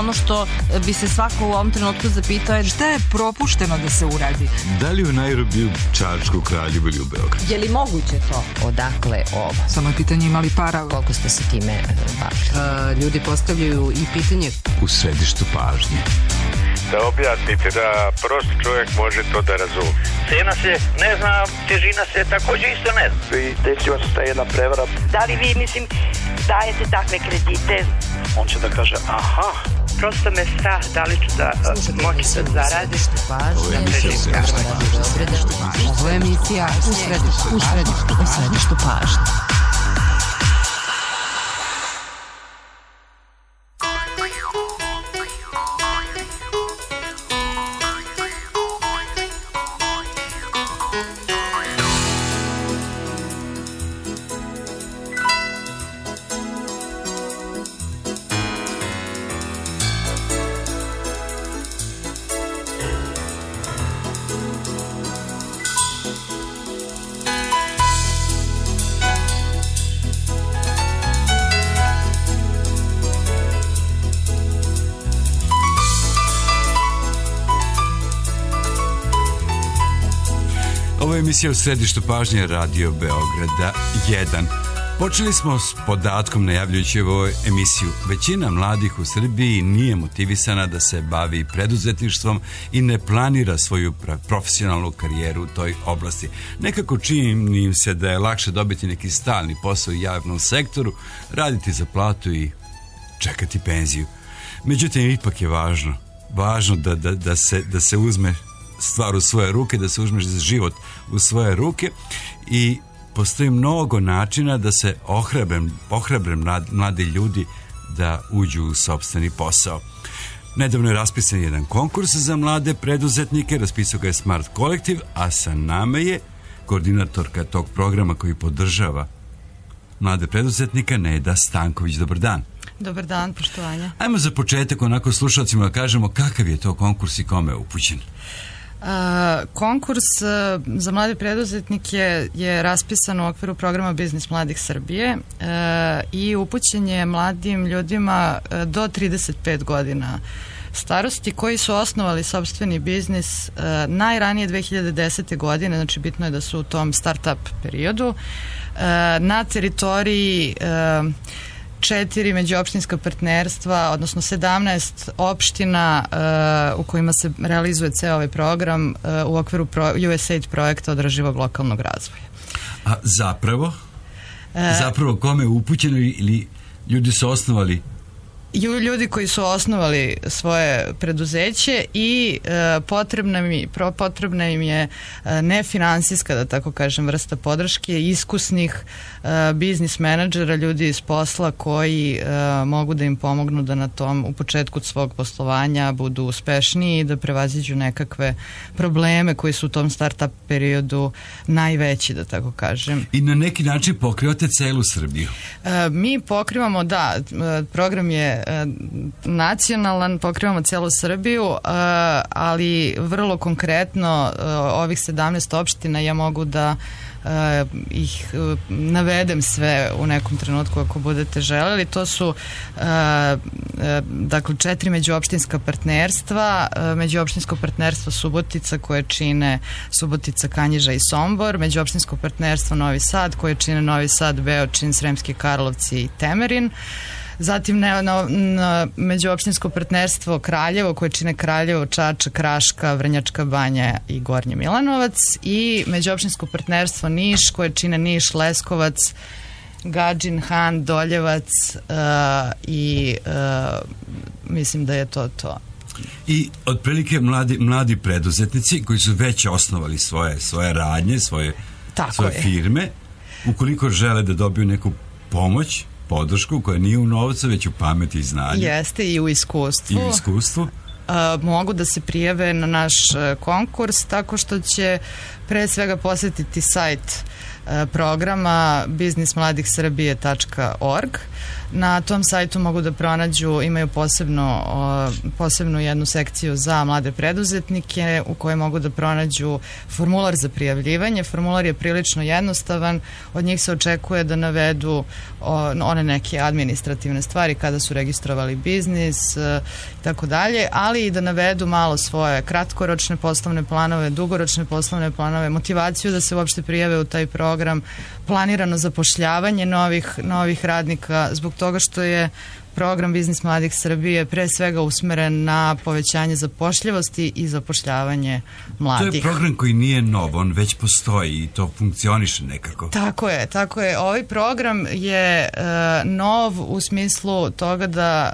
ono što bi se svako u ovom trenutku zapitao je šta je propušteno da se uradi. Da li u Nairobiju, Čačku, Kraljevu ili u Beogradu? Je li moguće to? Odakle ovo? Samo je pitanje imali para. Koliko ste se time bavili? Ljudi postavljaju i pitanje U središtu pažnje. Da objasnite da prosti čovjek može to da razumije. Cena se ne zna, težina se također isto ne zna. I desila se ta jedna prevara. Da li vi, dajete takve kredite? On će da kaže, aha. Prosto me strah da li ću da moći da zaradim. Ovo je emisija Ovo je emisija u središtu pažnje. Ovo je emisija u središtu pažnje Radio Beograda 1. Počeli smo s podatkom najavljujući ovu emisiju. Većina mladih u Srbiji nije motivisana da se bavi preduzetništvom i ne planira svoju profesionalnu karijeru u toj oblasti. Nekako čini im se da je lakše dobiti neki stalni posao u javnom sektoru, raditi za platu i čekati penziju. Međutim, ipak je važno da se uzme stvar u svoje ruke, da se uzmeš za život u svoje ruke i postoji mnogo načina da se ohrabre mladi ljudi da uđu u sopstveni posao. Nedavno je raspisan jedan konkurs za mlade preduzetnike, raspisao ga je Smart Kolektiv, a sa nama je koordinatorka tog programa koji podržava mlade preduzetnika, Neda Stanković. Dobar dan. Dobar dan, poštovanja. Ajmo za početak onako slušalcima da kažemo kakav je to konkurs i kome je upućen. Konkurs za mlade preduzetnike je raspisan u okviru programa Biznis mladih Srbije i upućen je mladim ljudima do 35 godina starosti koji su osnovali sopstveni biznis najranije 2010. godine, znači bitno je da su u tom start-up periodu na teritoriji 4 međuopštinska partnerstva, odnosno 17 opština u kojima se realizuje ceo ovaj program u okviru USAID projekta održivog lokalnog razvoja. A zapravo kome je upućeno ili ljudi su osnovali? Ljudi koji su osnovali svoje preduzeće i potrebna im je nefinansijska, da tako kažem, vrsta podrške iskusnih biznis menadžera, ljudi iz posla koji mogu da im pomognu da na tom u početku svog poslovanja budu uspešniji i da prevaziđu nekakve probleme koji su u tom start-up periodu najveći, da tako kažem. I na neki način pokrivate celu Srbiju? Mi pokrivamo, da, program je nacionalan, pokrivamo celu Srbiju, ali vrlo konkretno ovih 17 opština ja mogu da ih navedem sve u nekom trenutku ako budete želeli. To su dakle 4 međuopštinska partnerstva, međuopštinsko partnerstvo Subotica koje čine Subotica, Kanjiža i Sombor, međuopštinsko partnerstvo Novi Sad koje čine Novi Sad, Beočin, Sremski Karlovci i Temerin. Zatim na međuopštinsko partnerstvo Kraljevo koje čine Kraljevo, Čačak, Raška, Vrnjačka Banja i Gornji Milanovac i međuopštinsko partnerstvo Niš koje čine Niš, Leskovac, Gadžin, Han, Doljevac i mislim da je to. I otprilike mladi preduzetnici koji su već osnovali svoje radnje, svoje firme, ukoliko žele da dobiju neku pomoć, podršku koja nije u novcu, već u pameti i znanju. Jeste, i u iskustvu. Mogu da se prijave na naš konkurs tako što će pre svega posjetiti sajt programa biznismladihsrbije.org. Na tom sajtu mogu da pronađu, imaju posebnu jednu sekciju za mlade preduzetnike u kojoj mogu da pronađu formular za prijavljivanje. Formular je prilično jednostavan, od njih se očekuje da navedu one neke administrativne stvari kada su registrovali biznis i tako dalje, ali i da navedu malo svoje kratkoročne poslovne planove, dugoročne poslovne planove, motivaciju da se uopšte prijave u taj program, planirano zapošljavanje novih radnika, zbog toga što je program Biznis mladih Srbije pre svega usmeren na povećanje zapošljivosti i zapošljavanje mladih. To je program koji nije nov, on već postoji i to funkcioniše nekako. Tako je. Ovaj program je nov u smislu toga da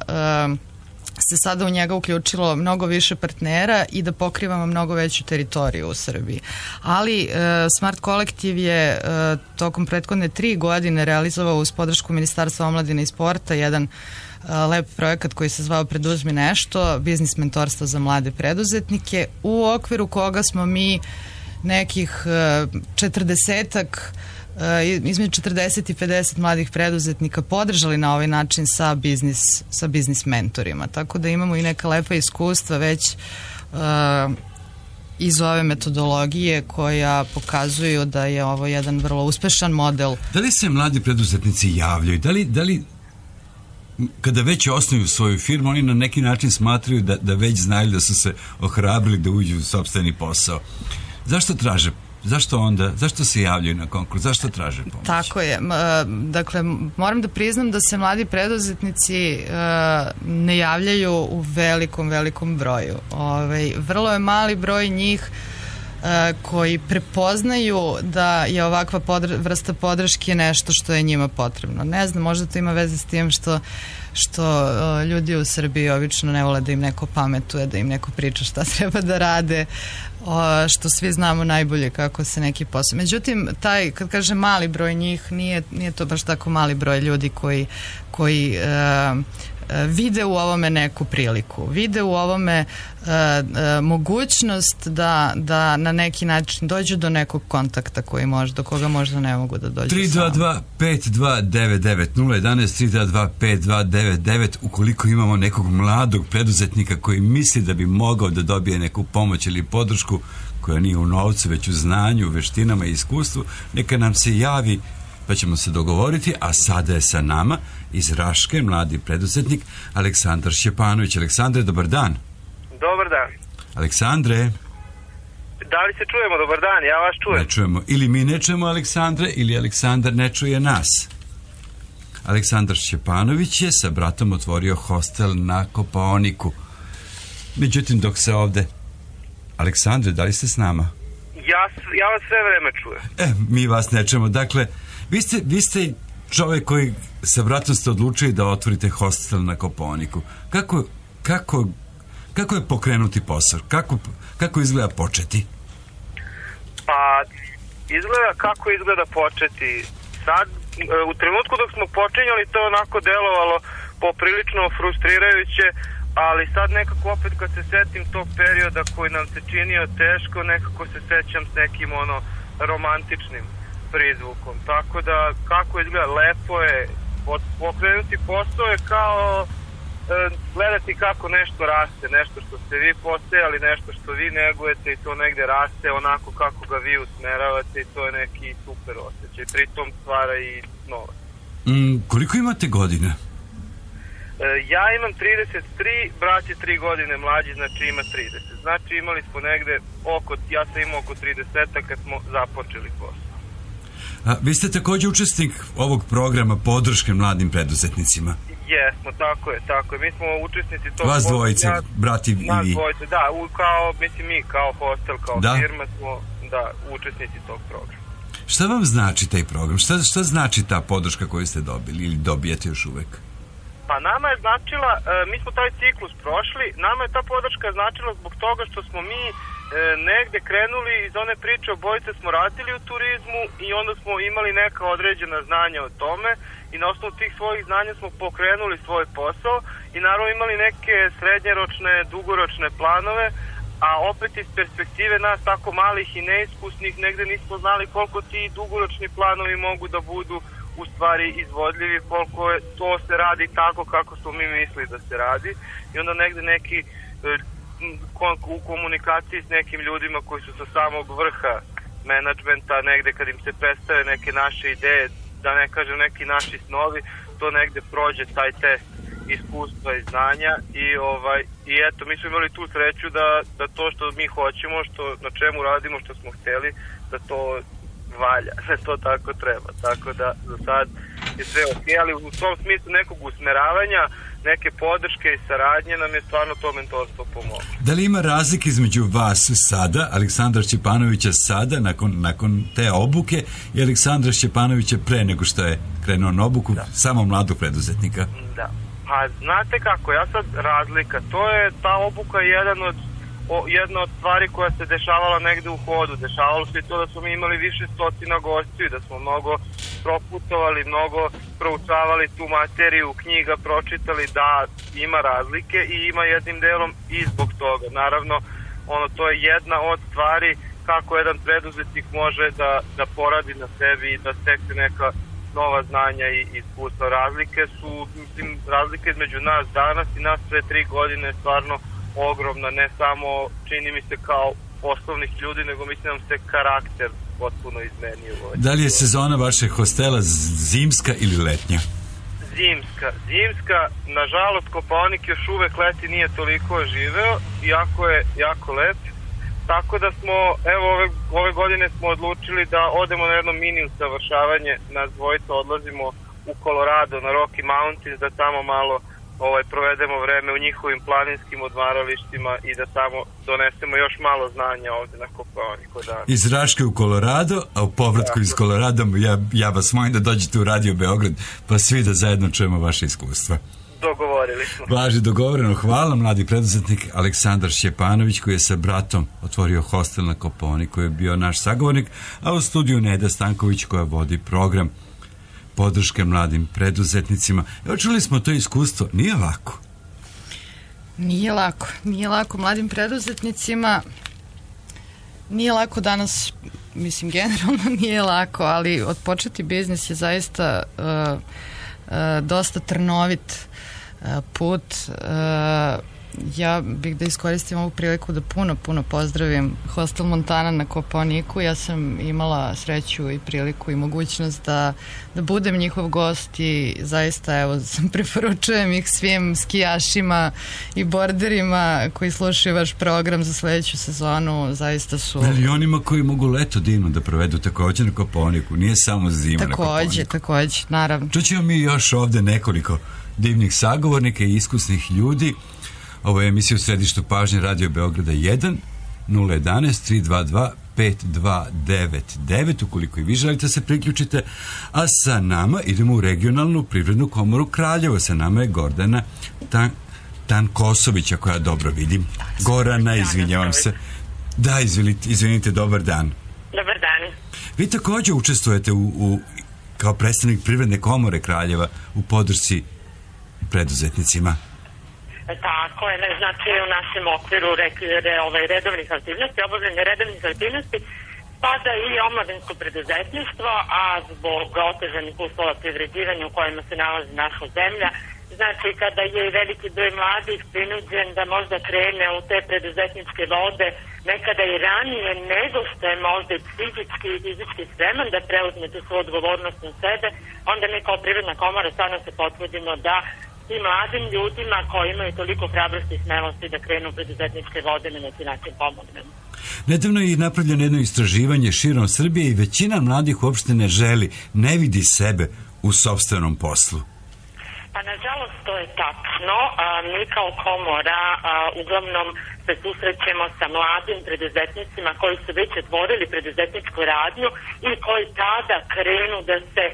se sada u njega uključilo mnogo više partnera i da pokrivamo mnogo veću teritoriju u Srbiji. Ali Smart Kolektiv je tokom prethodne 3 godine realizovao uz podršku Ministarstva omladine i sporta jedan lep projekat koji se zvao Preduzmi nešto, biznis mentorstvo za mlade preduzetnike, u okviru koga smo mi nekih 40-ak između 40 i 50 mladih preduzetnika podržali na ovaj način sa biznis mentorima. Tako da imamo i neka lepa iskustva već iz ove metodologije koja pokazuju da je ovo jedan vrlo uspešan model. Da li se mladi preduzetnici javljaju? Da li kada već osnuju svoju firmu, oni na neki način smatraju da već znaju da su se ohrabrili da uđu u sopstveni posao? Zašto traže? Zašto se javljaju na konkurs? Zašto traže pomoć? Tako je. Dakle, moram da priznam da se mladi preduzetnici ne javljaju u velikom broju. Vrlo je mali broj njih koji prepoznaju da je ovakva vrsta podrške nešto što je njima potrebno. Ne znam, možda to ima veze s tim što ljudi u Srbiji obično ne vole da im neko pametuje, da im neko priča šta treba da rade, što svi znamo najbolje kako se neki posao. Međutim, kad kažem mali broj njih, nije to baš tako mali broj ljudi koji vide u ovome neku priliku, vide u ovome mogućnost da na neki način dođu do nekog kontakta do koga možda ne mogu da dođu 322-5299 011 322-5299 ukoliko imamo nekog mladog preduzetnika koji misli da bi mogao da dobije neku pomoć ili podršku koja nije u novcu, već u znanju, veštinama i iskustvu, neka nam se javi pa ćemo se dogovoriti, a sada je sa nama iz Raške mladi preduzetnik Aleksandar Šćepanović. Aleksandre, dobar dan. Dobar dan. Aleksandre. Da li se čujemo? Dobar dan, ja vas čujem. Ne čujemo. Ili mi ne čujemo Aleksandre, ili Aleksandar ne čuje nas. Aleksandar Šćepanović je sa bratom otvorio hostel na Kopaoniku. Međutim, dok se ovde... Aleksandre, da li ste s nama? Ja vas sve vreme čujem. Mi vas ne čujemo. Dakle, vi ste čovjek koji sa bratom ste odlučili da otvorite hostel na Kopaoniku. Kako je pokrenuti posao? Kako izgleda početi? Pa, kako izgleda početi. Sad, u trenutku dok smo počinjali, to onako delovalo poprilično frustrirajuće, ali sad nekako opet kad se setim tog perioda koji nam se činio teško, nekako se sećam s nekim romantičnim prizvukom. Tako da kako izgleda, lepo je pokrenuti posao je kao gledati kako nešto raste, nešto što ste vi posejali, nešto što vi negujete i to negde raste onako kako ga vi usmeravate i to je neki super osjećaj. Pritom stvara i novac. Koliko imate godina? Ja imam 33, brat je 3 godine mlađi, znači ima 30. Znači imali smo negde ja sam imao oko 30 kad smo započeli posao. Vi ste također učesnik ovog programa podrške mladim preduzetnicima. Jesmo, tako je. Mi smo učesnici tog... Vas dvojice, brati i vi. Nas dvojice, da, mi kao hostel, kao firma smo, učesnici tog programa. Šta vam znači taj program? Šta znači ta podrška koju ste dobili ili dobijete još uvek? Pa nama je značila, mi smo taj ciklus prošli, nama je ta podrška značila zbog toga što smo mi negde krenuli iz one priče, obojice smo radili u turizmu i onda smo imali neka određena znanja o tome i na osnovu tih svojih znanja smo pokrenuli svoj posao i naravno imali neke srednjeročne, dugoročne planove, a opet iz perspektive nas tako malih i neiskusnih negde nismo znali koliko ti dugoročni planovi mogu da budu u stvari izvodljivi, koliko to se radi tako kako smo mi mislili da se radi i onda negde neki u komunikaciji s nekim ljudima koji su sa samog vrha menadžmenta, negde kad im se predstave neke naše ideje, da ne kažem neki naši snovi, to negde prođe taj test iskustva i znanja i eto, mi smo imali tu sreću da to što mi hoćemo, na čemu radimo, što smo hteli, da to valja, da to tako treba. Tako da za sad je sve ok, ali u tom smislu nekog usmeravanja, neke podrške i saradnje nam je stvarno to mentorstvo pomoglo. Da li ima razlike između vas sada, Aleksandra Šćepanovića sada, nakon te obuke, i Aleksandra Šćepanovića pre nego što je krenuo na obuku samo mladog preduzetnika? Da. Pa znate kako, ja sad razlika, ta obuka je jedna od stvari koja se dešavala negde u hodu. Dešavalo se i to da smo mi imali više stotina gostiju, da smo mnogo proputovali, mnogo proučavali tu materiju, knjiga pročitali, da ima razlike i ima jednim delom i zbog toga. Naravno, to je jedna od stvari kako jedan preduzetnik može da poradi na sebi i da stekne neka nova znanja i iskustva. Razlike između nas danas i nas pre 3 godine je stvarno ogromna, ne samo čini mi se kao poslovnih ljudi, nego mislim da nam se karakter potpuno izmenio. Da li je sezona vašeg hostela zimska ili letnja? Zimska, nažalost Kopaonik još uvek leti nije toliko živeo, iako je jako lep, tako da smo, evo ove godine smo odlučili da odemo na jedno mini usavršavanje, nas dvojica odlazimo u Colorado na Rocky Mountains, da tamo malo provedemo vreme u njihovim planinskim odmaralištima i da tamo donesemo još malo znanja ovde na Kopaoniku. Iz Raške u Colorado, a u povratku iz Colorado ja vas molim da dođete u Radio Beograd, pa svi da zajedno čujemo vaše iskustva. Dogovorili smo. Važi, dogovoreno. Hvala, mladi preduzetnik Aleksandar Šćepanović, koji je sa bratom otvorio hostel na Kopaoniku, koji je bio naš sagovornik, a u studiju Neda Stanković, koja vodi program podrške mladim preduzetnicima. Evo, čuli smo to iskustvo. Nije lako. Nije lako mladim preduzetnicima. Nije lako danas, mislim, generalno nije lako, ali otpočeti biznis je zaista dosta trnovit put. Ja bih da iskoristim ovu priliku da puno pozdravim Hostel Montana na Kopaoniku. Ja sam imala sreću i priliku i mogućnost da budem njihov gost i zaista, evo, preporučujem ih svim skijašima i borderima koji slušaju vaš program za sledeću sezonu. Zaista su... Milionima koji mogu leto divno da provedu takođe na Kopaoniku, nije samo zima na Kopaoniku. Takođe, naravno. Čućemo mi još ovde nekoliko divnih sagovornika i iskusnih ljudi. Ovo je emisija u središtu pažnje Radio Beograda 1 011 322 5299, ukoliko i vi želite se priključite, a sa nama idemo u regionalnu privrednu komoru Kraljevo. Sa nama je Gordana Tankosović, ako ja dobro vidim. Gorana, izvinjavam se. Da, izvinite, dobar dan. Dobar dan. Vi takođe učestvujete kao predstavnik privredne komore Kraljeva u podršci preduzetnicima. Tako je, znači u našem okviru redovnih aktivnosti, obavljanje redovnih aktivnosti spada i omladinsko preduzetništvo, a zbog otežanih uslova privređivanja u kojima se nalazi naša zemlja, znači kada je veliki broj mladih prinuđen da možda krene u te preduzetničke vode nekada i ranije nego što je možda i psihički i fizički spreman da preuzme tu svoju odgovornost na sebe, onda mi kao privredna komora stvarno se potrudimo da i mladim ljudima koji imaju toliko hrabrosti i smelosti da krenu u preduzetničke vode na neki način pomognemo. Nedavno je napravljeno jedno istraživanje širom Srbije i većina mladih uopšte ne želi, ne vidi sebe u sopstvenom poslu. Pa nažalost to je tačno. Mi kao komora uglavnom se susrećemo sa mladim preduzetnicima koji su već otvorili preduzetničku radnju i koji tada krenu da se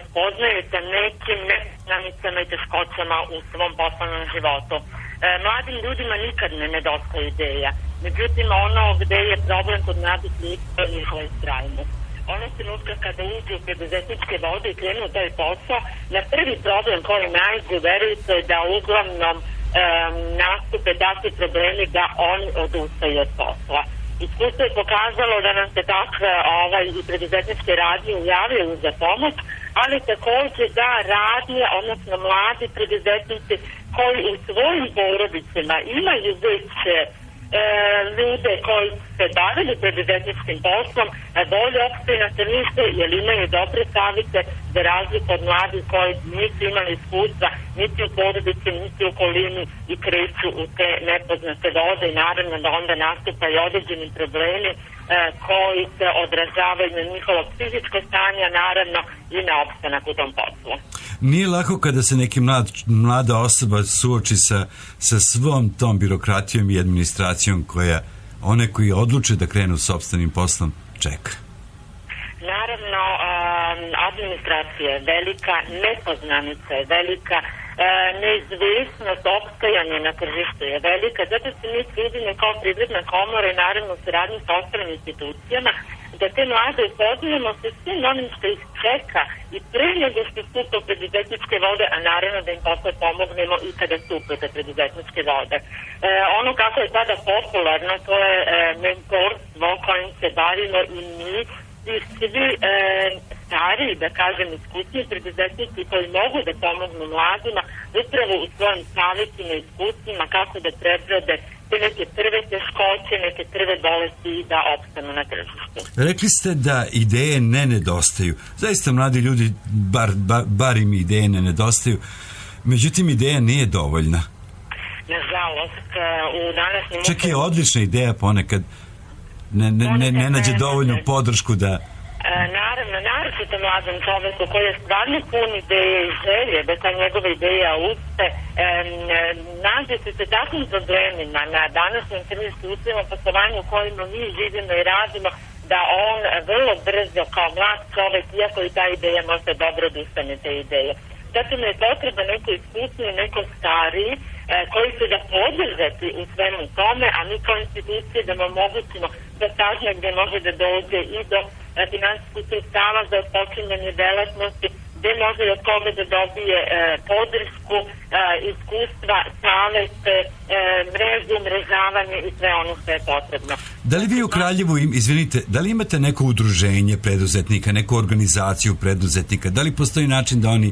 spoznaju sa nekim nepoznanicama i teškoćama u svom poslovnom životu. Mladim ljudima nikad ne nedostaje ideja. Međutim, ono gde je problem kod mladih ljudi je njihova istrajnost. Ono trenutka kada uđu u preduzetničke vode i krenu taj posao, na prvi problem koji najdu, verujte da uglavnom nastupe takvi problemi da oni odustaju od posla. Iskustvo je pokazalo da nam se takve i preduzetničke radnje javljaju za pomoć, ali također da radnje, odnosno mladi preduzetnici koji u svojim porodicama imaju već ljude koji se bavili preduzetničkim poslom, bolje opstaju na tržište jer imaju dobre savjete za razliku od mladih koji nisu imali iskustva niti u porodici, niti u okolini i kreću u te nepoznate vode i naravno da onda nastupaju određeni problemi koji se odražavaju na njihovo psihičko stanje, naravno i na opstanak u tom poslu. Nije lako kada se neki mlada osoba suoči sa svom tom birokratijom i administracijom koja one koji odluče da krenu s sopstvenim poslom čeka. Naravno, administracija je velika, nepoznanica je velika, neizvjesnost opstajanja na tržištu je velika, zato se mi trudimo kao Privredna komora i naravno u saradnji sa ostalim institucijama da te mlade upoznajemo sa svim onim što ih čeka i pre nego što stupe u preduzetničke vode, a naravno da im posle pomognemo i kada stupe u preduzetničke vode. Ono kako je sada popularno, to je mentorstvo kojim se bavimo i mi i svi stariji, da kažem, iskusni preduzetnici koji mogu da pomognu mladima upravo u svojim savjetima i iskustvima kako da prebrode te neke prve teškoće, neke prve bolesti i da opstanu na tržištu. Rekli ste da ideje ne nedostaju. Zaista mladi ljudi, bar im ideje ne nedostaju. Međutim, ideja nije dovoljna. Nažalost, u današnjem... Čak je odlična ideja ponekad ne nađe dovoljnu podršku da... Naravno, naročito mladom čoveku koji je stvarno pun ideje i želje da ta njegova ideja uspe, nađe se sa takvim problemima na današnjem tržištu uslovima poslovanja u kojima mi živimo i radimo, da on vrlo brzo kao mlad čovek, iako i ta ideja možda dobro odustane te ideje. Zato mi je potreba neko iskusnije, neko stariji, koji će da podržati u svemu tome, a mi kao institucije da mu omogućimo da sažnje gdje može da dođe i do finansijskih sredstava za počinjanje delatnosti, gdje može od koga da dobije podršku, iskustva, savete, mrežu, umrežavanje i sve ono što je potrebno. Da li vi u Kraljevu, izvinite, da li imate neko udruženje preduzetnika, neku organizaciju preduzetnika? Da li postoji način da oni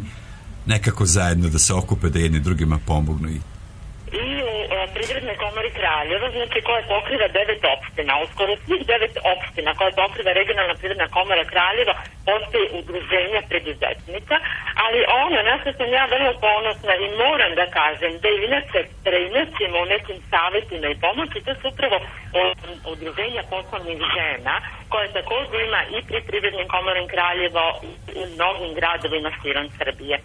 nekako zajedno da se okupe, da jedni drugima pomognu? I u Privrednoj komori Kraljeva, znači koja pokriva 9 opština, uskoro svih 9 opština koje pokriva regionalna Privredna komora Kraljeva, postoji udruženja preduzetnika, ali ono na što sam ja vrlo ponosna i moram da kažem da inače preinačimo u nekim savjetima i pomoći, to su upravo udruženja poslovnih žena koje također ima i pri Privrednim komorom Kraljeva i u mnogim gradovima širom Srbije.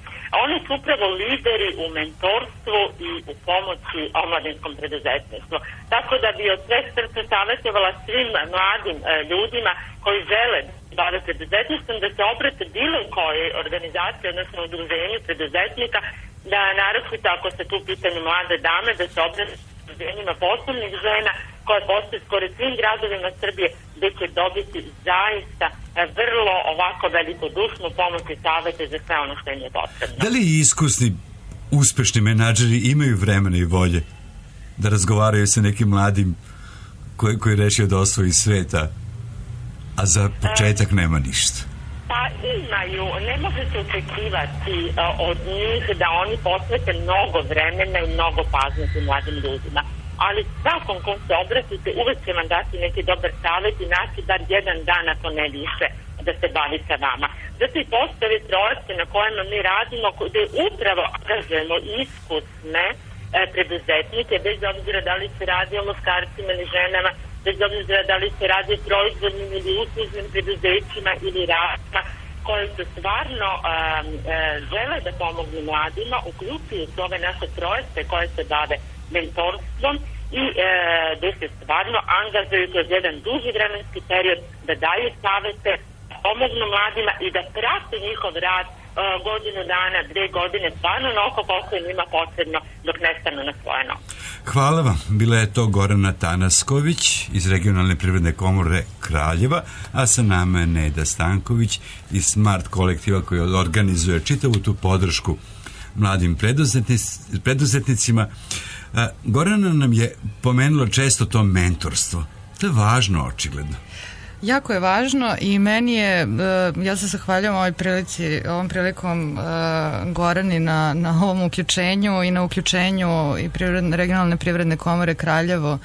Oni su upravo lideri u mentorstvu i u pomoći omladinskom preduzetništvu. Tako da bi od sveg srca savjetovala svim mladim ljudima koji žele bave preduzetništvom da se obrate bilo koje organizacije, odnosno udruženju preduzetnika, da naročito ako se tu pitanju mlade dame, da se obrate udruženjima poslovnih žena koje postoje skoro svim gradovima Srbije, gdje će dobiti zaista vrlo ovako velikodušnu pomoć i savjete za sve ono što im je potrebno. Da li iskusni, uspešni menadžeri imaju vremena i volje da razgovaraju sa nekim mladim koji rešio da osvoji sveta, a za početak nema ništa? Pa imaju, ne može se očekivati od njih da oni posvete mnogo vremena i mnogo pažnje tim mladim ljudima. Ali svakom kom se obratite uvek će vam dati neki dobar savjet i naći bar jedan dan, ako ne više, da se bavi sa vama. Zato i postoje projekte na kojima mi radimo, gde upravo angažujemo iskusne preduzetnike, bez obzira da li se radi o muškarcima ili ženama, bez obzira da li se radi o proizvodnim ili uslužnim preduzećima ili radima, koje su stvarno žele da pomognu mladima, uključuju ove naše projekte koje se bave mentorstvom i gde se stvarno angažuju kroz jedan duži vremenski period da daju savete, pomognu mladima i da prate njihov rad godinu dana, 2 godine, stvarno onoliko koliko je njima potrebno dok ne stanu na svoje noge. Hvala vam. Bila je to Gorana Tanasković iz Regionalne privredne komore Kraljeva, a sa nama je Neda Stanković iz Smart kolektiva koji organizuje čitavu tu podršku mladim preduzetnicima. Gorana nam je pomenula često to mentorstvo. To je važno, očigledno. Jako je važno i meni je, ja se zahvaljujem ovom prilikom Gorani na ovom uključenju i na uključenju i regionalne privredne komore Kraljevo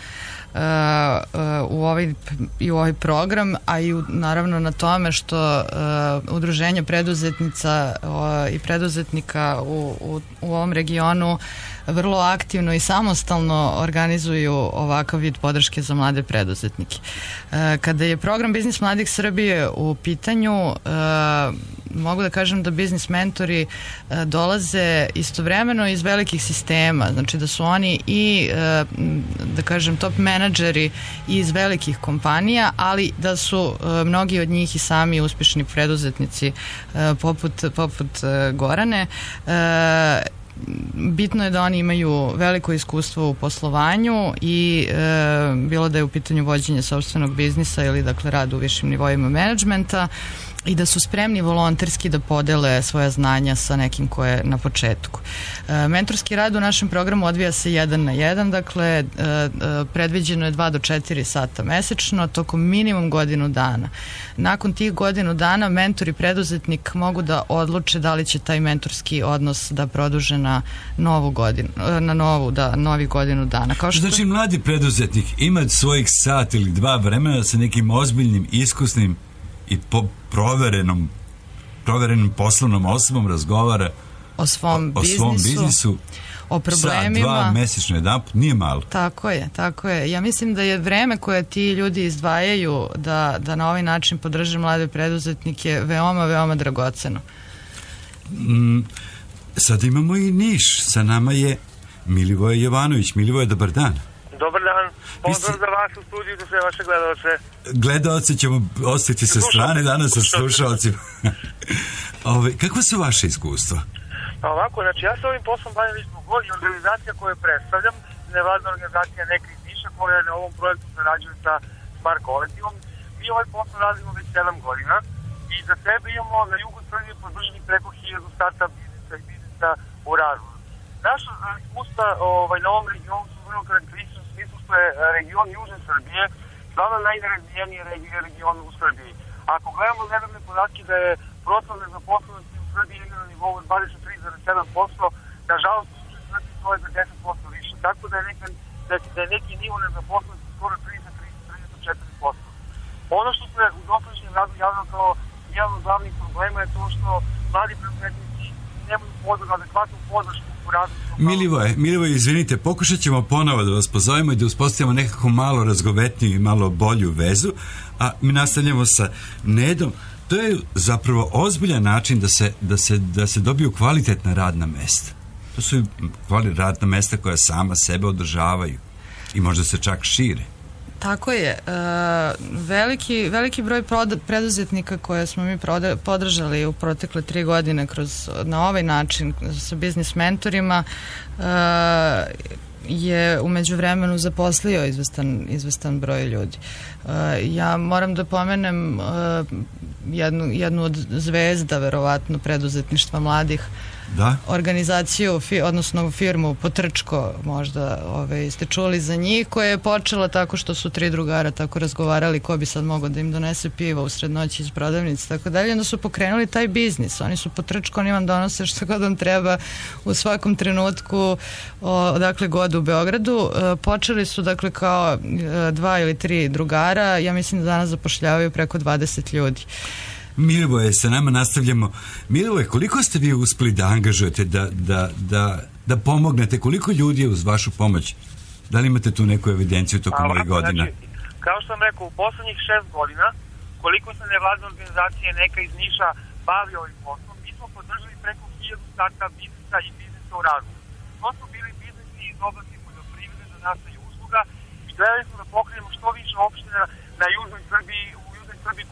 u ovaj program, a i naravno na tome što udruženje preduzetnica i preduzetnika u ovom regionu vrlo aktivno i samostalno organizuju ovakav vid podrške za mlade preduzetnike. Kada je program Biznis mladih Srbije u pitanju, mogu da kažem da biznis mentori dolaze istovremeno iz velikih sistema, znači da su oni i, da kažem, top menadžeri iz velikih kompanija, ali da su mnogi od njih i sami uspješni preduzetnici poput Gorane. Bitno je da oni imaju veliko iskustvo u poslovanju i bilo da je u pitanju vođenje sopstvenog biznisa ili dakle rad u višim nivoima menadžmenta i da su spremni volonterski da podele svoja znanja sa nekim ko je na početku. Mentorski rad u našem programu odvija se 1 na 1, dakle predviđeno je 2 do 4 sata mesečno, tokom minimum godinu dana. Nakon tih godinu dana mentor i preduzetnik mogu da odluče da li će taj mentorski odnos da produže na novu godinu, novi godinu dana. Znači mladi preduzetnik ima svojih sat ili 2 vremena sa nekim ozbiljnim, iskusnim i proverenom poslovnom osobom razgovara o svom biznisu, o problemima. Sa 2 mesečno jedanput, nije malo. Tako je. Ja mislim da je vreme koje ti ljudi izdvajaju da na ovaj način podrže mlade preduzetnike veoma, veoma dragoceno. Sad imamo i Niš. Sa nama je Milivoje Jovanović. Milivoje, dobar dan. Dobar dan. Pozdrav za vas u studiju, za sve vaše gledalce. Gledalce ćemo ostaviti sa strane danas sa slušalcima. Kako su vaše iskustva? Pa ovako, znači ja se ovim poslom bavim već godina. Organizacija koju predstavljam, nevladna organizacija neka iz Niša koja na ovom projektu sarađuje sa Smart kolektivom. Mi ovaj posao radimo već 7 godina i za sebe imamo na jugu Srbije podrženi preko 1000 startup biznisa i biznisa u razvoju. Naša iskustva na ovom regionu su vrlo karakteristična u smislu što je region Južne Srbije stvarno najnerazvijeniji region u Srbiji. Ako gledamo nedavne podatke da je procenat nezaposlenosti u Srbiji na nivou 23,7%, nažalost u Srbiji to je za 10% više. Tako da je neki nivo nezaposlenosti skoro 33-34%. Ono što se u dosadašnjem radu javno kao jedan od glavnih problema je to što mladi preduzetnici nemaju adekvatnu podršku u radu. Milivoje, izvinite, pokušat ćemo ponovo da vas pozovemo i da uspostavimo nekako malo razgovetniju i malo bolju vezu, a mi nastavljamo sa Nedom. To je zapravo ozbiljan način da se dobiju kvalitetna radna mesta. To su radna mesta koja sama sebe održavaju i možda se čak šire. Tako je. Veliki broj preduzetnika koje smo mi podržali u protekle 3 godine na ovaj način sa biznis mentorima je u međuvremenu zaposlio izvestan broj ljudi. Ja moram da pomenem jednu od zvezda verovatno preduzetništva mladih, organizaciju, odnosno firmu Potrčko, možda ste čuli za njih, koja je počela tako što su 3 drugara tako razgovarali ko bi sad mogao da im donese pivo u sred noći iz prodavnice, tako dalje, onda su pokrenuli taj biznis. Oni su Potrčko, oni vam donose što god vam treba u svakom trenutku odakle god u Beogradu. Počeli su dakle kao 2 ili 3 drugara, ja mislim da danas zapošljavaju preko 20 ljudi. Milivoje, sa nama nastavljamo. Milivoje, koliko ste vi uspeli da angažujete, da pomognete, koliko ljudi je uz vašu pomoć? Da li imate tu neku evidenciju tokom ovih godina? Znači, kao što sam rekao, u poslednjih 6 godina, koliko se nevladne organizacije neka iz Niša bavi ovim poslom, mi smo podržali preko 1000 startup biznisa i biznisa u razvoju. To su bili biznisi iz oblasti poljoprivrede, zanata i usluga i gledali smo da pokrenemo što više opština na južnoj Srbiji,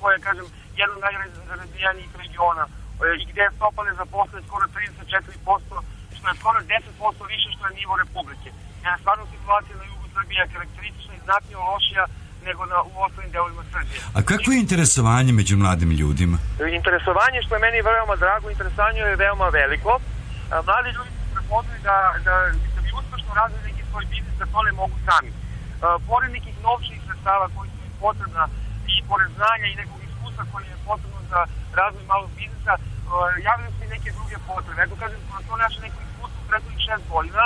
koja je, kažem, jedan od najrazvijenijih regiona i gde je stopa nezaposlenosti skoro 34%, što je skoro 10% više što je nivo Republike. Jer stvarno situacija na jugu Srbije je karakteristična i znatnije lošija nego u ostalim delovima Srbije. A kako je interesovanje među mladim ljudima? Interesovanje, što je meni veoma drago, interesovanje je veoma veliko. Mladi ljudi su prepoznali da bi uspešno razvili neki svoj biznis, da to ne mogu sami. Pored nekih novčanih sredstava koji su im potrebna i pored znanja i nekog iskustva koji je potrebno za razvoj malog biznisa, javljaju se i neke druge potrebe. Eto kažem, to naše neko iskustvo u prethodnih 6 godina,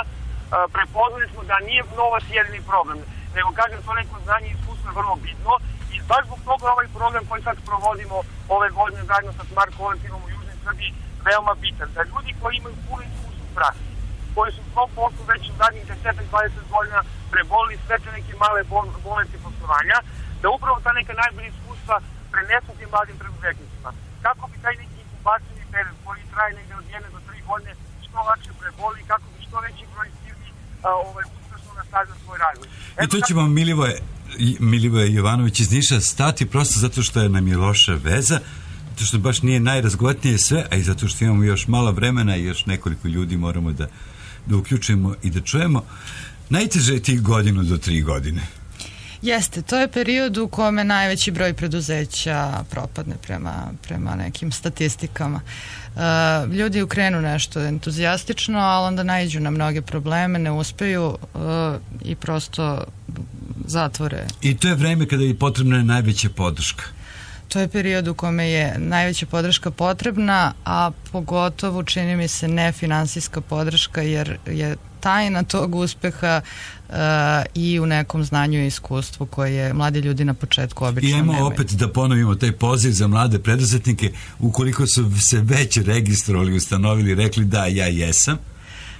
prepoznali smo da nije novac jedini problem, nego kažem, to neko znanje i iskustvo je vrlo bitno i baš zbog toga ovaj program koji sad provodimo ove godine zajedno sa Smart kolektivom u Južnoj Srbiji veoma bitan. Da ljudi koji imaju puno iskustvo u praksi, koji su u svom poslu već u zadnjih 10-20 godina prebolili sve te neke male bolesti poslovanja, da upravo ta neka najbolja iskustva prenesu tim mladim preduzetnicima. Kako bi taj neki inkubacijni period koji traje negde od 1 do 3 godine što lakše preboli, kako bi što veći broj firmi uspešno nastavio svoj razvoj. I to će vam Milivoje Jovanović iz Niša stati prosto zato što nam je loša veza, zato što baš nije najrazgovatnije sve, a i zato što imamo još malo vremena i još nekoliko ljudi moramo da uključimo i da čujemo. Najteže je tih 1 do 3 godine. Jeste, to je period u kome najveći broj preduzeća propadne prema nekim statistikama. Ljudi ukrenu nešto entuzijastično, ali onda naiđu na mnoge probleme, ne uspeju i prosto zatvore. I to je vreme kada je potrebna najveća podrška. To je period u kome je najveća podrška potrebna, a pogotovo čini mi se nefinansijska podrška, jer je tajna tog uspeha i u nekom znanju i iskustvu koje mladi ljudi na početku obično nemaju. I opet da ponovimo taj poziv za mlade preduzetnike, ukoliko su se već registrovali, ustanovili, rekli da, ja jesam.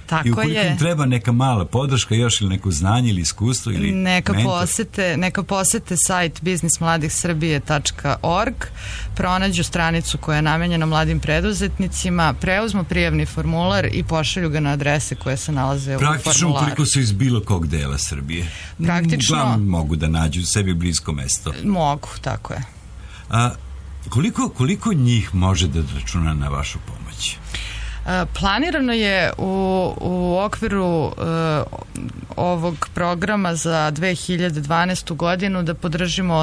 Tako i ukoliko im treba neka mala podrška još ili neko znanje ili iskustvo ili neka posete sajt biznismladihsrbije.org, pronađu stranicu koja je namenjena mladim preduzetnicima, preuzmu prijavni formular i pošalju ga na adrese koje se nalaze u formularu. Praktično ukoliko su iz bilo kog dela Srbije. Praktično mogu da nađu sebi blisko mesto. Mogu, tako je. A koliko njih može da računa na vašu pomoć? Planirano je u okviru ovog programa za 2012. godinu da podržimo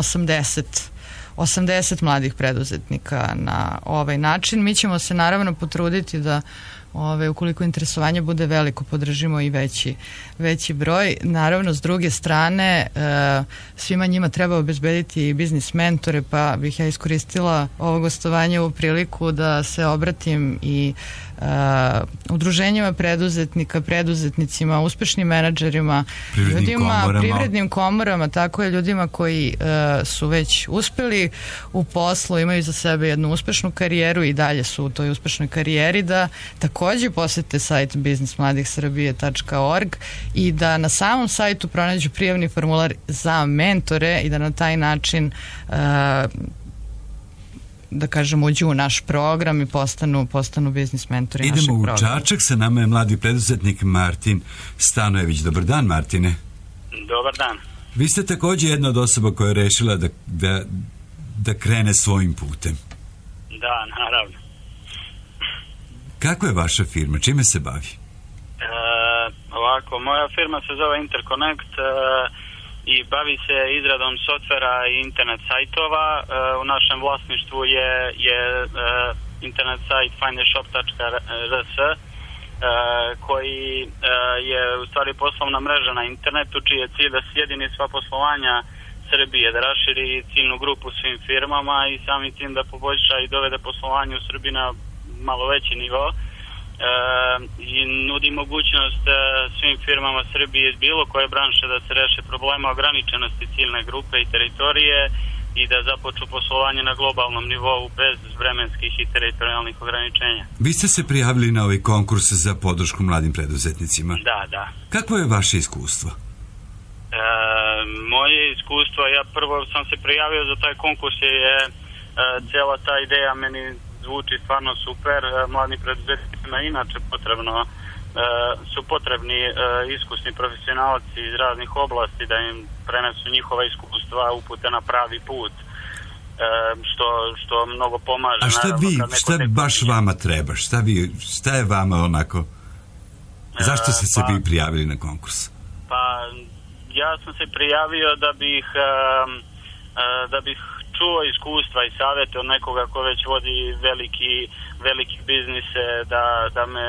80 mladih preduzetnika na ovaj način. Mi ćemo se naravno potruditi da ukoliko interesovanje bude veliko, podržimo i veći broj. Naravno, s druge strane, svima njima treba obezbediti i biznis mentore, pa bih ja iskoristila ovo gostovanje u priliku da se obratim i udruženjima preduzetnika, preduzetnicima, uspešnim menadžerima, privrednim komorama, tako je, ljudima koji su već uspeli u poslu, imaju za sebe jednu uspešnu karijeru i dalje su u toj uspešnoj karijeri, da takođe posete sajt biznismladihsrbije.org i da na samom sajtu pronađu prijavni formular za mentore i da na taj način da kažem uđu u naš program i postanu biznis mentori našeg programa. Idemo u Čačak, sa nama je mladi preduzetnik Martin Stanojević. Dobar dan, Martine. Dobar dan. Vi ste takođe jedna od osoba koja je rešila da krene svojim putem. Da, naravno. Kako je vaša firma? Čime se bavi? Ovako, moja firma se zove Interconnect i bavi se izradom softvera i internet sajtova. U našem vlasništvu je internet sajt findashop.rs koji je u stvari poslovna mreža na internetu, čiji je cilj da sjedini sva poslovanja Srbije, da raširi ciljnu grupu svim firmama i samim tim da poboljša i dovede poslovanje u Srbiji na malo veći nivo i nudi mogućnost svim firmama Srbije iz bilo koje branše da se reše problema ograničenosti ciljne grupe i teritorije i da započnu poslovanje na globalnom nivou bez vremenskih i teritorijalnih ograničenja. Vi ste se prijavili na ovaj konkurs za podršku mladim preduzetnicima. Da. Kakvo je vaše iskustvo? Moje iskustvo, ja prvo sam se prijavio za taj konkurs je cijela ta ideja meni zvuči stvarno super. Mladim preduzetnicima inače su potrebni iskusni profesionalci iz raznih oblasti da im prenesu njihova iskustva, upute na pravi put, što mnogo pomaže. A šta baš vama treba? Šta je vama onako? Zašto ste se vi prijavili na konkurs? Pa ja sam se prijavio da bih čuo iskustva i savjete od nekoga ko već vodi veliki biznise, da me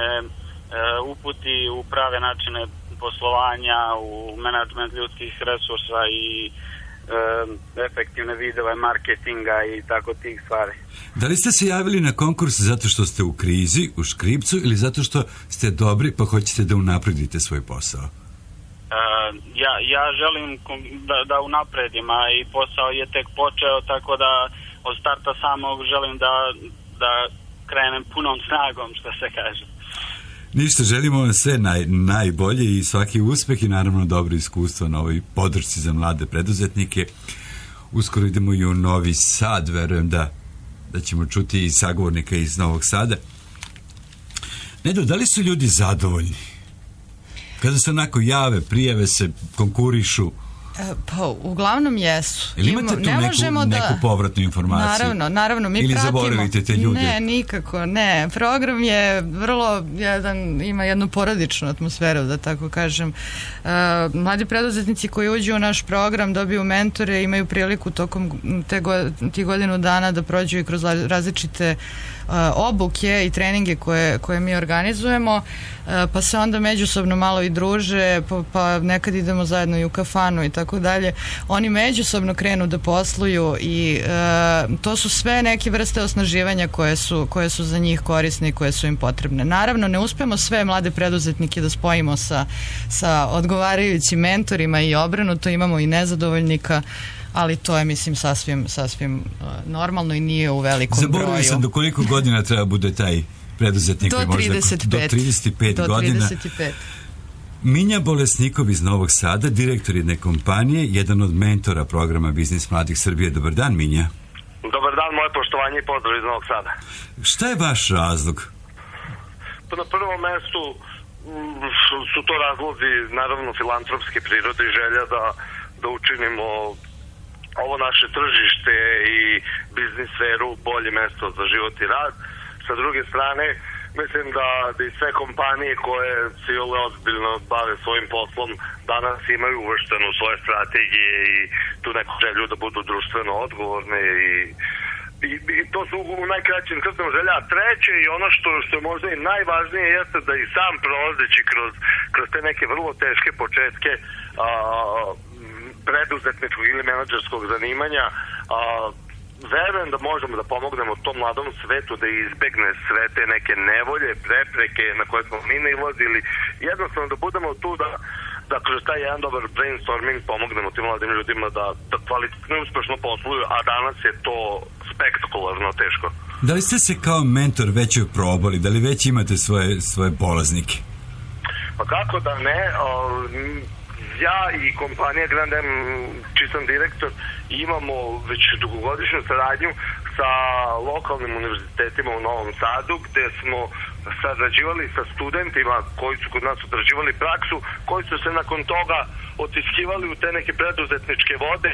uputi u prave načine poslovanja, u menadžment ljudskih resursa i efektivne vidove marketinga i tako tih stvari. Da li ste se javili na konkurs zato što ste u krizi, u škripcu, ili zato što ste dobri pa hoćete da unapredite svoj posao? Ja želim da unapredim, a i posao je tek počeo, tako da od starta samog želim da krenem punom snagom, što se kaže. Ništa, želimo vam sve najbolje i svaki uspeh i naravno dobro iskustvo na ovoj podršci za mlade preduzetnike. Uskoro idemo i u Novi Sad, verujem da ćemo čuti i sagovornika iz Novog Sada. Nedo, da li su ljudi zadovoljni? Kada se onako jave, prijave se, konkurišu? Pa, uglavnom jesu. Ili imate tu neku povratnu informaciju? Naravno, mi ili pratimo. Ili zaboravite te ljude? Ne, nikako, ne. Program je vrlo ima jednu porodičnu atmosferu, da tako kažem. Mladi preduzetnici koji uđu u naš program dobiju mentore, imaju priliku tokom tih godinu dana da prođu i kroz različite obuke i treninge koje mi organizujemo, pa se onda međusobno malo i druže, pa nekad idemo zajedno i u kafanu i tako dalje. Oni međusobno krenu da posluju i to su sve neke vrste osnaživanja koje su za njih korisne i koje su im potrebne. Naravno, ne uspemo sve mlade preduzetnike da spojimo sa odgovarajućim mentorima i obrnuto, imamo i nezadovoljnika, ali to je, mislim, sasvim normalno i nije u velikom broju. Zaboravio sam do koliko godina treba bude taj preduzetnik? Do 35. Do 35 godina. 35. Minja Bolesnikov iz Novog Sada, direktor jedne kompanije, jedan od mentora programa Biznis Mladih Srbije. Dobar dan, Minja. Dobar dan, moje poštovanje i pozdrav iz Novog Sada. Šta je vaš razlog? Pa na prvom mestu su to razlozi, naravno, filantropske prirode i želja da učinimo ovo naše tržište i biznis sferu bolje mesto za život i rad. Sa druge strane, mislim da i sve kompanije koje se ozbiljno bave svojim poslom danas imaju uvršteno u svoje strategije i tu neku želju da budu društveno odgovorne i to su u najkraćim crtama želja. Treće i ono što je možda i najvažnije jeste da i sam prolazeći kroz te neke vrlo teške početke preduzetničkog ili menadžerskog zanimanja, verujem da možemo da pomognemo tom mladom svetu da izbegne sve te neke nevolje, prepreke na koje smo mi nailazili. Jednostavno da budemo tu da kroz taj jedan dobar brainstorming pomognemo tim mladim ljudima da kvalitetno i uspešno posluju, a danas je to spektakularno teško. Da li ste se kao mentor već probali? Da li već imate svoje polaznike? Pa kako da ne? Ja i kompanija Grand M, čiji sam direktor, imamo već dugogodišnju saradnju sa lokalnim univerzitetima u Novom Sadu, gde smo sarađivali sa studentima koji su kod nas odrađivali praksu, koji su se nakon toga otiskivali u te neke preduzetničke vode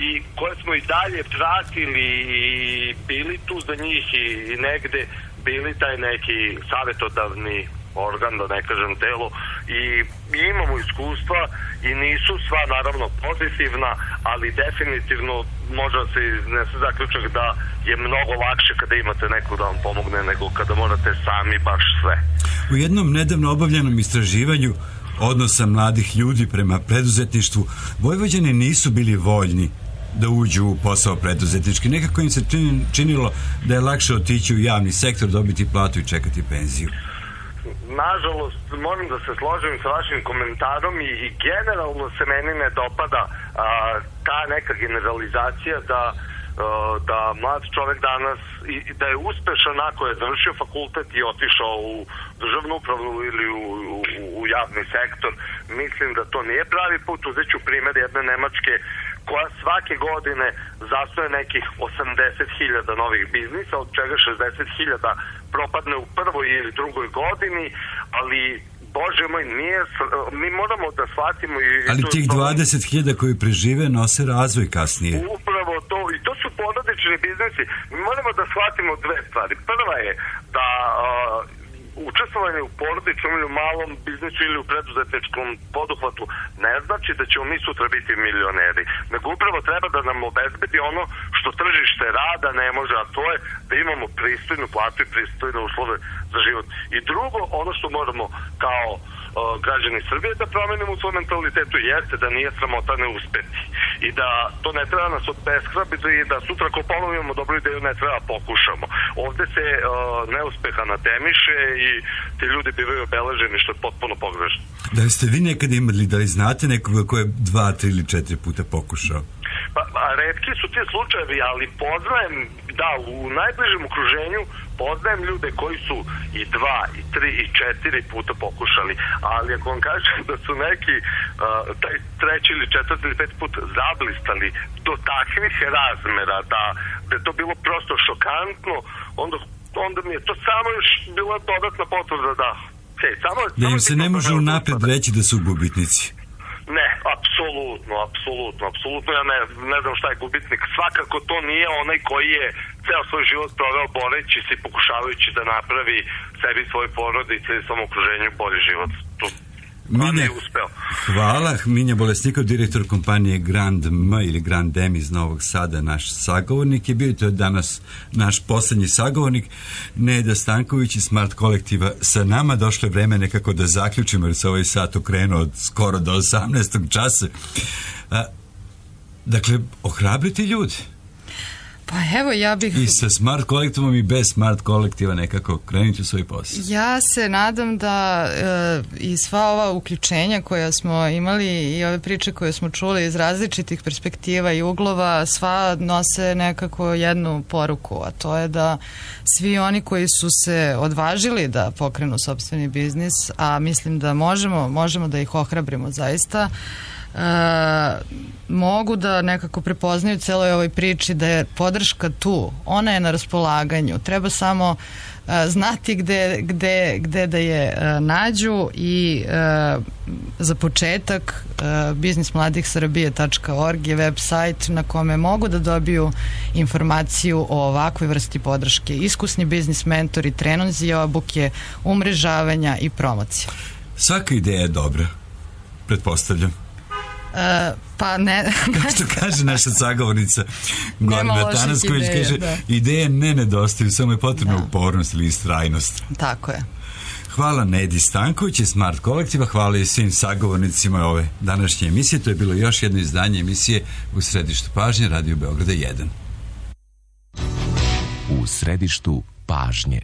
i koje smo i dalje pratili i bili tu za njih i negde bili taj neki savjetodavni organ, da ne kažem telo, i imamo iskustva i nisu sva naravno pozitivna, ali definitivno može se iznese zaključak da je mnogo lakše kada imate neko da vam pomogne nego kada morate sami baš sve. U jednom nedavno obavljenom istraživanju odnosa mladih ljudi prema preduzetništvu, Vojvođani nisu bili voljni da uđu u posao preduzetnički. Nekako im se činilo da je lakše otići u javni sektor, dobiti platu i čekati penziju. Nažalost, moram da se složim sa vašim komentarom i generalno se meni ne dopada ta neka generalizacija da mlad čovek danas da je uspešan ako je završio fakultet i otišao u državnu upravu ili u javni sektor. Mislim da to nije pravi put. Uzet ću primjer jedne Nemačke koja svake godine zastoje nekih 80.000 novih biznisa, od čega 60.000 propadne u prvoj ili drugoj godini, ali Bože moj, mi moramo da shvatimo ali tih 20.000 koji prežive nose razvoj kasnije. Upravo to, i to su porodični biznisi. Mi moramo da shvatimo dve stvari. Prva je da učestvovanje u porodičnom ili u malom biznisu ili u preduzetničkom poduhvatu ne znači da ćemo mi sutra biti milioneri, nego upravo treba da nam obezbedi ono što tržište rada ne može, a to je da imamo pristojnu platu i pristojne uslove za život. I drugo, ono što moramo kao građani Srbije da promenimo u svom mentalitetu jeste da nije sramota ne uspeti i da to ne treba nas obeshrabiti i da sutra ako ponovimo dobru ideju ne treba pokušamo. Ovde se neuspeha natemiše i ti ljudi bivaju obeleženi što je potpuno pogrešno. Da li ste vi nekada imali, da li znate nekoga ko je 2, 3 ili 4 puta pokušao? Pa retki su ti slučajevi, ali poznajem, da, u najbližem okruženju poznajem ljude koji su i 2, i 3, i 4 puta pokušali, ali ako vam kažem da su neki taj 3. ili 4. ili 5. put zablistali do takvih razmera da je to bilo prosto šokantno, onda mi je to samo još bila dodatna potvrda da da im se ne može unapred reći da su gubitnici. Ne, apsolutno. Ja ne znam šta je gubitnik. Svakako to nije onaj koji je ceo svoj život proveo boreći se i pokušavajući da napravi sebi, svoje porodice i svom okruženju bolji život. Minja, hvala. Minja Bolesnikov, direktor kompanije Grand M ili Grand M iz Novog Sada, naš sagovornik je bio, to je danas naš poslednji sagovornik. Neda Stanković iz Smart kolektiva sa nama. Došlo je vreme nekako da zaključimo jer se ovaj sat okrenuo od skoro do 18. časa. Dakle, ohrabriti ljudi. Pa evo, ja bih... I sa Smart kolektivom i bez Smart kolektiva nekako krenuti u svoj posao. Ja se nadam da i sva ova uključenja koja smo imali i ove priče koje smo čuli iz različitih perspektiva i uglova, sva nose nekako jednu poruku, a to je da svi oni koji su se odvažili da pokrenu sopstveni biznis, a mislim da možemo da ih ohrabrimo zaista, mogu da nekako prepoznaju celoj ovoj priči da je podrška tu, ona je na raspolaganju, treba samo znati gde da je nađu i za početak biznismladiksrbije.org je web sajt na kome mogu da dobiju informaciju o ovakvoj vrsti podrške. Iskusni biznis mentori, treninzi, obuke, umrežavanja i promocija. Svaka ideja je dobra, pretpostavljam. Pa ne... Kao što kaže naša sagovornica Gorana Tanasković, kaže, ideje ne nedostaju, samo je potrebna upornost ili istrajnost. Tako je. Hvala Nedi Stanković iz Smart kolektiva, hvala i svim sagovornicima ove današnje emisije. To je bilo još jedno izdanje emisije U središtu pažnje Radio Beograda 1. U središtu pažnje.